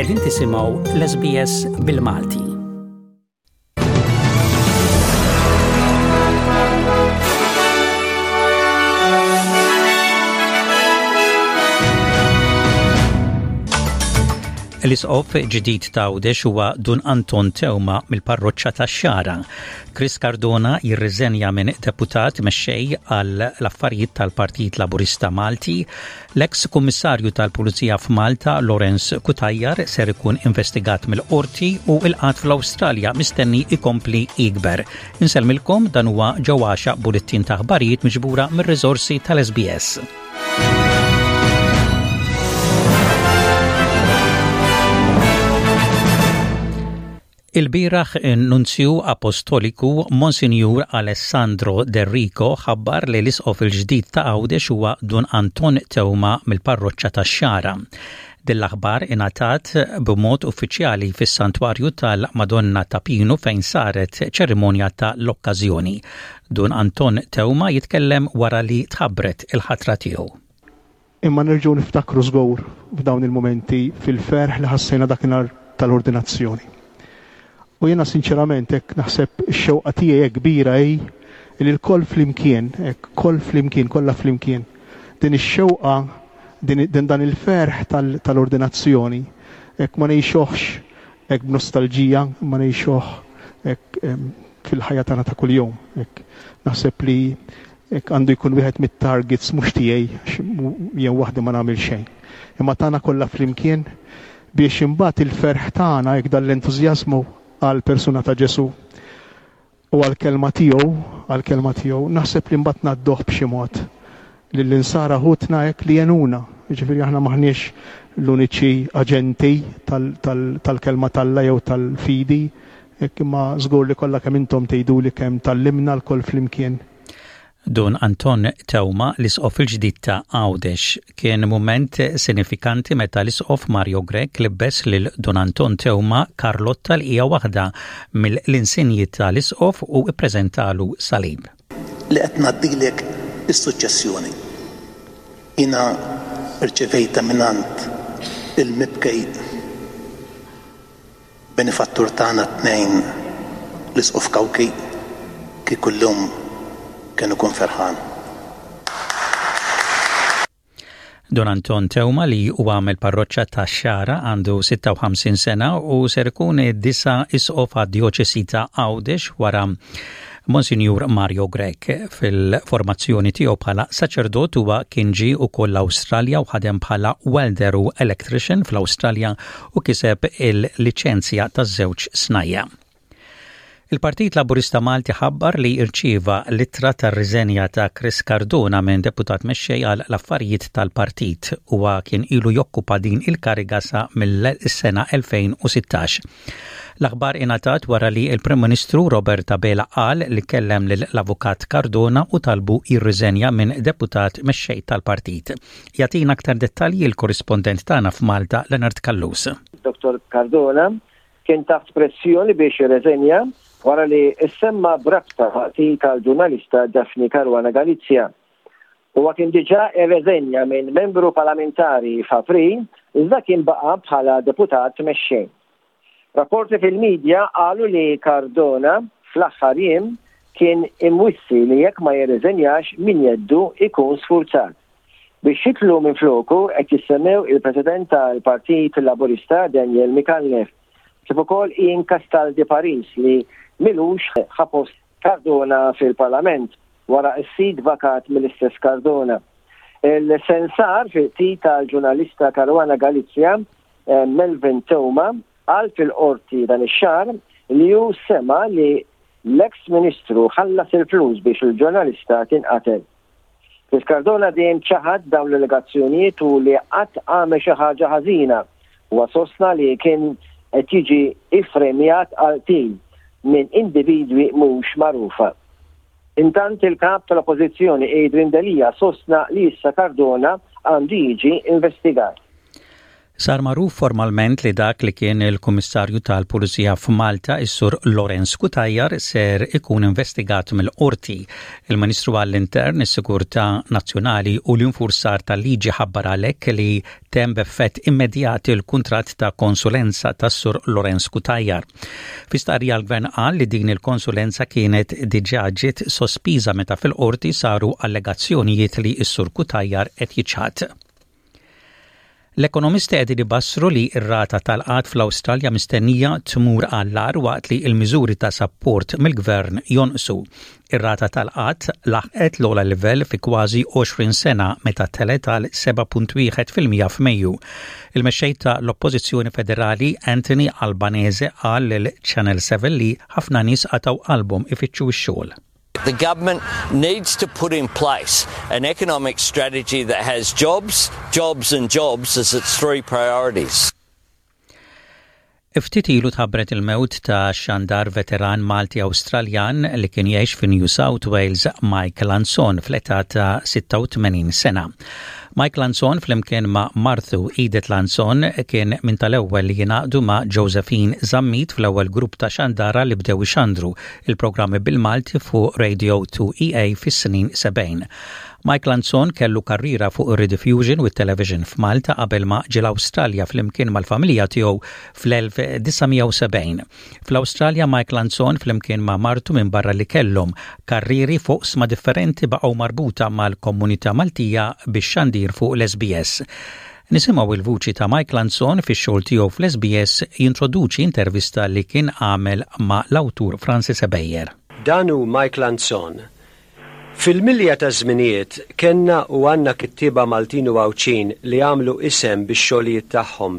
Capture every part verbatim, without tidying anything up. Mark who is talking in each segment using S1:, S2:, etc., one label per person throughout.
S1: Qegħdin tisimgħu l-S B S bil-Malti. L-isqof ġdid ta' Għawdex huwa Dun Anton Teuma mill-parroċċa tax-Xagħra. Chris Cardona jirriżenja minn deputat mexxej għal l-affarijiet tal-Partit Laburista Malti. L-eks kummissarju tal-Pulizija f'Malta Lawrence Cutajar ser ikun investigat mill-qorti u il-qgħad fl-Awstralja mistenni ikompli jikber. Insellmilkom, dan huwa ġewwaxa bulettin ta' aħbarijiet miġbura mir-riżorsi tal-S B S. Il-bieraħ nunzju apostoliku Monsinjur Alessandro D'Errico ħabbar li l-isqof il-ġdid ta' Għawdex huwa Dun Anton Teuma mill-parroċċa tax-Xagħra. Din l-aħbar ingħatat b'mod uffiċjali fis-Santwarju tal-Madonna ta' Pinu fejn saret ċerimonja ta' l-okkażjoni. Dun Anton Teuma jitkellem wara li tħabbret il-ħatra tiegħu.
S2: Imma nerġgħu niftakru żgur f'dawn il-momenti fil-ferħ li ħassejna dakinhar tal-ordinazzjoni. U jiena sinċerament hekk naħseb, ix-xewqa tiegħi hekk kbira hi li lkoll flimkien, hekk koll flimkien, kollha flimkien. Din ix-xewqa, din, din dan il-ferħ tal-ordinazzjoni, hekk ma ngħixuhx hekk b'nostalġija, ma ngħixuh hekk fil-ħajja tagħna ta' kuljum. Hekk naħseb li hekk għandu jkun wieħed mit-targets, mhux tiegħi, jien waħdi ma nagħmel xejn. Imma tagħna kollha flimkien, biex imbagħad il-ferħ tagħna, hekk dan l-entużjażmu għal persuna ta' Ġesu u għal kelma tiegħu, għal kelma tiegħu, naħseb li mbagħad ngħadduh b'xi mod lill-insara ħutna hekk li jgħinuna. Jiġifieri aħna maħniex l-uniċi aġenti tal-kelma t'Alla jew tal-fidi, hekk, imma żgur li kollha kemm intom tgħidu li kemm tgħallimna lkoll flimkien.
S1: Dun Anton Teuma, l-isqof il-ġdid ta' Għawdex. Kien moment sinifikanti meta l-isqof Mario Grech libbes lil Dun Anton Teuma Karlotta, li hija waħda mill-insinji tal-isqof, u ippreżentalu salib.
S3: Li qed ngħaddilek is-suċċessjoni. Jiena rċevejta mingħand il-mibkej benefattur tagħna t-tnejn, l-Isqof Cauchi, kieku llum kien ikun ferħan.
S1: Don Anton Teuma, li huwa mill-parroċċa tax-Xagħra, għandu sitta u ħamsin sena u ser ikun id-disa' isqof għad-djoċesi ta' Għawdex wara Monsignor Mario Grech. Fil-formazzjoni tiegħu bħala saċerdot huwa kien ġie ukoll l-Awstralja u ħadem bħala welder u electrician fl-Awstralja u kiseb il-liċenzja taż-żewġ snajja. Il-Partit Laburista Malti ħabbar li irċieva l-ittra tar-riżenja ta' Chris Cardona minn deputat mexxej għal l-affarijiet tal-partit. Huwa kien ilu jokkupa din il-kariga sa mill-sena elfejn u sittax. L-aħbar ingħatat wara li il-Prim Ministru Robert Abela qal li kellem lill-Avukat Cardona u talbu jirriżenja minn deputat mexxej tal-partit. Jagħtina aktar dettalji l-korrispondent tagħna f'Malta, Leonard Callus.
S4: Doktor Cardona kien taħt pressjoni biex jirreżenja wara li issemma b'rabta qtil tal-ġurnalista Daphne Caruana Galizia. Huwa kien diġà irreżenja minn membru parlamentari f'April, iżda kien baqa' bħala deputat mexxej. Rapporti fil-medja qalu li Cardona fl-aħħar jiem kien imwissi li jekk ma jirreżenjax minn jeddu ikun sfurzat. Biex jidħlu minn floku qed jissemmew il-President tal-Partit Laburista Daniel Micallef, kif ukoll Ian Castaldi Paris, li m'ilux ħa post Cardona fil-Parlament wara s-seat vakat mill-istess Cardona. Il-sensar fil-qtil tal-ġurnalista Caruana Galizia, eh, Melvin Theuma, qal fil-qorti dan ix-xahar li hu sema li l-ex ministru ħallas il-flus biex il-ġurnalista tinqatel. Chris Cardona dejjem ċaħad dawn l-allegazzjonijiet u li qatt għamel xi ħaġa ħażina u sostna li kien qed jiġi iffremjat għal qtil minn individwi mhux magħrufa. Intant, il-kap tal-Oppożizzjoni Adrian Delia sostna li issa Cardona għandu jiġi investigat.
S1: Sar magħruf formalment li dak li kien il-Kummissarju tal-Pulizija f'Malta, is-Sur Lawrence Cutajar, ser ikun investigat mill-qorti. Il-Ministru għall-Intern, is-Sigurtà Nazzjonali u l-Infurzar tal-Liġi ħabbar għalhekk li temm b'effett immedjat il-kuntratt ta' konsulenza tas-Sur Lawrence Cutajar. Fi stqarrija l-Gvern qal li din il-konsulenza kienet diġà ġiet sospiża meta fil-qorti saru allegazzjonijiet li s-Sur Cutajar qed jiċħad. L-ekonomisti qegħdin ibassru li r-rata tal-qgħad fl-Awstralja mistennija tmur għall-agħar waqt li l-miżuri ta' sapport mill-gvern jonqsu. Ir-rata tal-qgħad laħqet l-ogħla livell fi kważi għoxrin sena meta telgħet għal seba' punt wieħed fil-mija f'Mejju. Il-mexxej ta' l-Oppożizzjoni Federali Anthony Albanese qal lil Channel seven li ħafna nies qatgħu qalbhom ifittxu x-xogħol.
S5: The government needs to put in place an economic strategy that has jobs, jobs and jobs as its three priorities.
S1: Ftit ilu tħabbret il-mewt ta' xandar veteran Malti Awstraljan li kien jgħix fi New South Wales, Mike Lanzon, fl-età ta' sitta u tmenin sena. Mike Lanzon flimkien ma' martu Edith Lanzon kien minn tal-ewwel li jingħaqdu ma' Josephine Zammit fl-ewwel grupp ta' xandara li bdew ixandru il-programmi bil-Malti fuq Radio two E A fis-snin sebgħin. Mike Lanzon kellu karriera fuq ir-Rediffusion u television f'Malta qabel ma ġie l-Awstralja flimkien mal-familja tiegħu fl-elf disa' mija u sebgħin. Fl-Awstralja Mike Lanzon flimkien ma' martu, minn barra li kellhom karrieri fuq oqsma differenti, baqgħu marbuta mal-komunità Maltija bix-xandir fuq l-S B S. Nisimgħu il-vuċi ta' Mike Lanzon fix-xogħol tiegħu fl-S B S jintroduċi intervista li kien għamel ma' l-awtur Francis Ebejer.
S6: Dan hu Mike Lanzon. Fil-milja ta' żminijiet kellna u għandna kittieba Maltin u Għawdxin li għamlu isem bix-xogħlijiet tagħhom,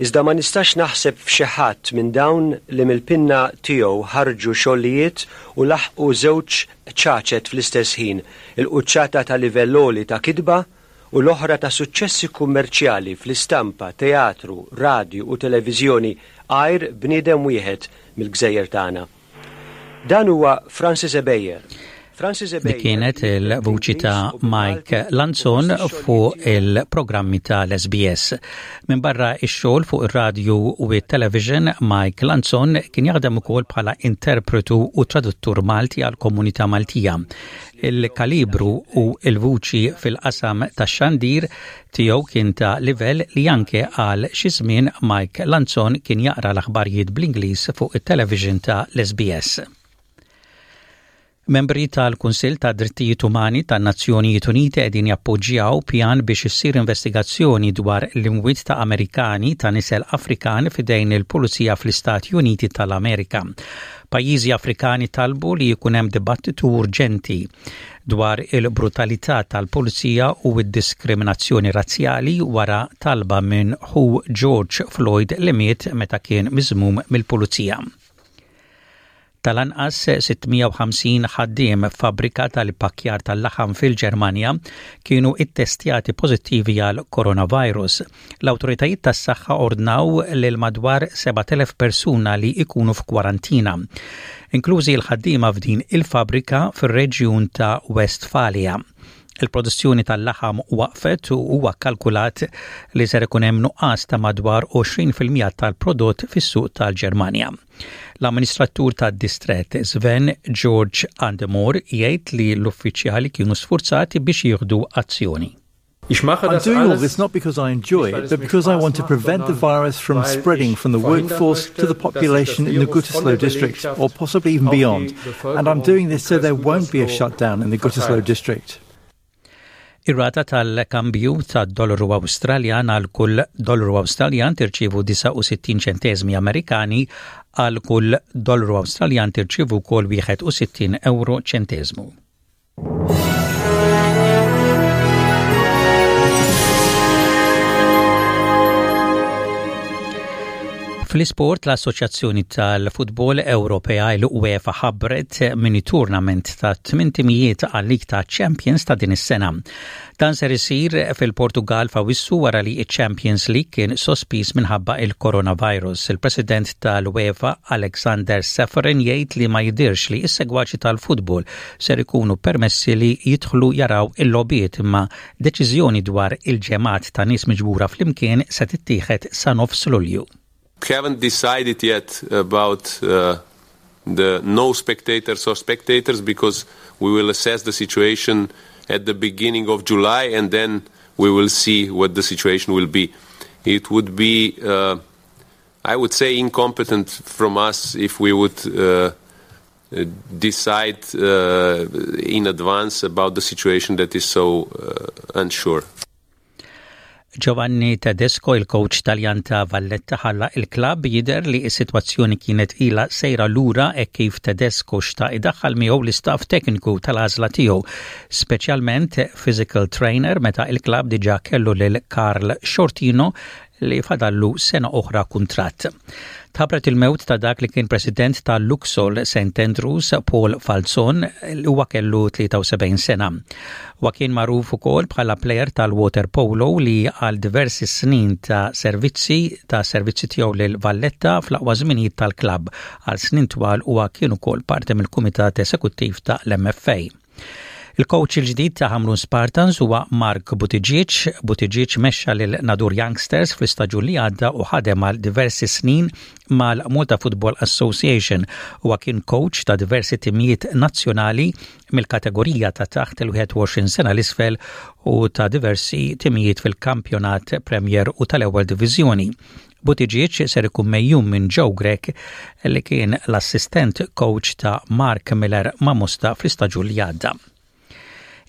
S6: iżda ma nistax naħseb f'xi ħadd minn dawn li mill-pinna tiegħu ħarġu xogħlijiet u laħqu żewġ qċaċet fl-istess ħin, il-quċċata ta' livell għoli ta' kitba u l-oħra ta' suċċessi kummerċjali fl-istampa, teatru, radju u televiżjoni għajr bniedem wieħed mill-gżejjer tagħna. Dan huwa Francis Ebejer. Francis
S1: Dik kienet il-vuċi ta' Mike Lanzon fuq il-programmi tal-S B S. Minn barra ix-xogħol fuq ir-radju u t-television, Mike Lanzon kien jaħdem ukoll bħala interpretu u traduttur Malti għal komunità Maltija. Il-kalibru u il-vuċi fil-qasam tax-xandir tiegħu kien ta' livell li anke għal xi żmien Mike Lanzon kien jaqra l-aħbarijiet bl-Ingliż fuq it-television ta' l-S B S. Membri tal-Kunsill ta' Drittijiet Umani tan-Nazzjonijiet Uniti qegħdin jappoġġjaw pjan biex issir investigazzjoni dwar l-imwiet ta' Amerikani ta' nisel Afrikan f'idejn il-Pulizija fl-Istati Uniti tal-Amerika. Pajjiżi Afrikani talbu li jkun hemm dibattitu urġenti dwar il-brutalità tal-pulizija u d-diskriminazzjoni razzjali wara talba minn ħu George Floyd li miet meta kien miżmum mill-pulizija. Tal-anqas sitt mija u ħamsin ħaddiem f'fabbrika tal-pakkjar tal-laħam fil-Ġermanja kienu ittestjati pożittivi għal coronavirus. L-awtoritajiet tas-saħħa ordnaw lil madwar sebat elef persuna li ikunu f'kwarantina, inklużi l-ħaddiema f'din il-fabrika fir-reġjun ta' Westfalia. Il-produzzjoni tal-laħam waqfet u huwa kalkulat li ser ikun hemm nuqqas ta' madwar għoxrin fil-mija tal-prodott fis-suq tal-Ġermanja. L-amministratur tad-distret Sven George Andemor jgħid li l-uffiċjali kienu sfurzati biex jieħdu azzjoni.
S7: I'm doing all this not because I enjoy it, but because I want to prevent the virus from spreading from the workforce to the population in the Gütersloh district, or possibly even beyond. And I'm doing this so there won't be a shutdown in the Gütersloh district.
S1: Ir-rata tal-kambju tad-dollaru Awstraljan: għal kull dollaru Awstraljan tirċievu disgħa u sittin ċentesmi Amerikani, għal kull dollaru Awstraljan tirċievu wkoll wieħed u sittin euro ċentesmu. Fl-isport, l-Assoċjazzjoni tal-Futbol Ewropea, l-UEFA, ħabbret mini tournament ta' tmien timijiet għal-League ta' Champions ta' din is-sena. Dan ser isir fil-Portugal f'Awissu wara li Champions League kien sospiż minħabba il-coronavirus. Il-President tal-UEFA Alexander Ceferin jgħid li ma jidirx li s-segwaċi tal-futbol ser ikunu permessi li jidħlu jaraw il-logħbiet, imma deċiżjoni dwar il-ġemgħat ta' nies miġbura flimkien se tittieħed sa nofs Lulju.
S8: Haven't decided yet about uh, the no spectators or spectators because we will assess the situation at the beginning of July and then we will see what the situation will be. It would be, uh, I would say, incompetent from us if we would uh, decide uh, in advance about the situation that is so uh, unsure.
S1: Giovanni Tedesco, il-coach Taljan ta' Valletta, ħalla il-klab. Jider li s-sitwazzjoni kienet ila sejra lura e kif Tedesco xtaq idaħħal miegħu l-istaff tekniku tal-għażla tiegħu, speċjalment physical trainer, meta il-klab diġà kellu lil Karl Sciortino li fadallu sena oħra kuntratt. Tħabbret il-mewt ta' dak li kien president ta' Luxol Saint Andrews, Paul Falzon, li huwa kellu tlieta u sebgħin sena. Huwa kien magħruf ukoll bħala player tal-water polo li għal diversi snin ta' servizzi ta' servizzi tiegħu lil Valletta fl-aqwa żminijiet tal-klabb. Għal snin twal huwa kien ukoll parti mill-kumitat esekuttiv ta' l-M F A. Il-coach il-ġdid ta' Hamrun Spartans huwa Mark Buttigieg. Buttigieg mexxa lil Nadur Youngsters fl-istaġun li għadda u ħadem għal diversi snin mal-Malta Football Association. Huwa kien coach ta' diversi timijiet nazzjonali mill-kategorija ta' taħt il-wieħed u għoxrin sena l-isfel u ta' diversi timijiet fil-kampjonat Premier u tal-ewwel diviżjoni. Buttigieg ser ikun megħjun minn Joe Grech, li kien l-assistent coach ta' Mark Miller ma' Mosta fl-istaġun li għadda.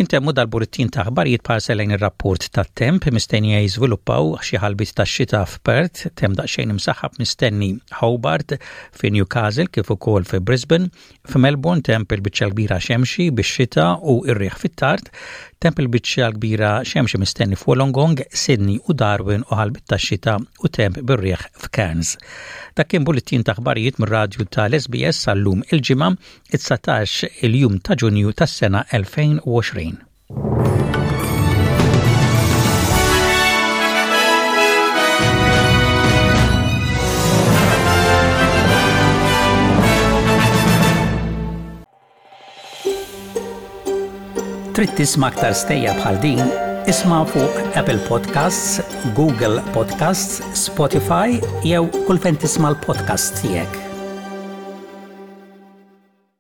S1: Intemmu dal-bullettin ta' aħbarijiet b'ħarsa lejn ir-rapport tat-temp. Mistennija jiżviluppaw xi ħalbiet ta' xita f'Perth, temp daqsxejn imsaħħab mistenni Hobart, fi Newcastle kif ukoll fi Brisbane, f'Melbourne temp il-biċċa kbira xemxi bix-xita u r-riħ fit-tard, temp il-biċċa kbira xemxi mistenni f'Wollongong, Sydney u Darwin u ħalbiet ta' xita u temp bir-riħ f'Cairns. Dak kien bullettin ta' aħbarijiet mir-radju tal-S B S sal-lum, il-Ġimgħa, it-dsatax il-jum ta' Ġunju tas-sena elfejn u għoxrin. Trid tisma' aktar stejjer bħal din? Isma' fuq Apple Podcasts, Google Podcasts, Spotify jew kull fejn tisma' l-podcast tiegħek.